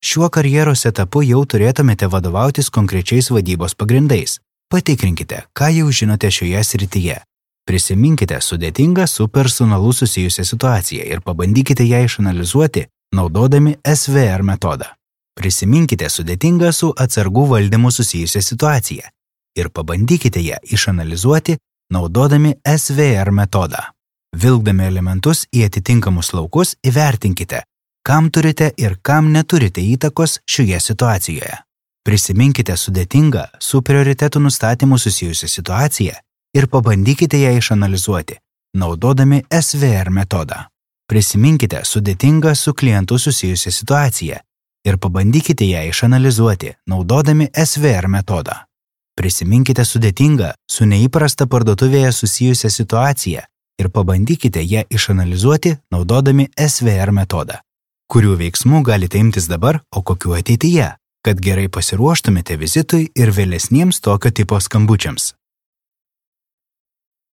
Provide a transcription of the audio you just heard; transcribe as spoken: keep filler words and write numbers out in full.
Šiuo karjeros etapu jau turėtumėte vadovautis konkrečiais vadybos pagrindais. Patikrinkite, ką jau žinote šioje srityje. Prisiminkite sudėtingą su personalu susijusią situaciją ir pabandykite ją išanalizuoti, naudodami S V R metodą. Prisiminkite sudėtingą su atsargų valdymu susijusią situaciją ir pabandykite ją išanalizuoti, naudodami S V R metodą. Vilkdami elementus į atitinkamus laukus įvertinkite, kam turite ir kam neturite įtakos šioje situacijoje. Prisiminkite sudėtingą su prioritetų nustatymu susijusią situaciją ir pabandykite ją išanalizuoti, naudodami S V R metodą. Prisiminkite sudėtingą su klientu susijusią situaciją ir pabandykite ją išanalizuoti, naudodami S V R metodą. Prisiminkite sudėtingą su neįprasta parduotuvėje susijusią situaciją ir pabandykite ją išanalizuoti, naudodami S V R metodą. Kurių veiksmų galite imtis dabar, o kokių ateityje, kad gerai pasiruoštumėte vizitui ir vėlesniems tokio tipo skambučiams.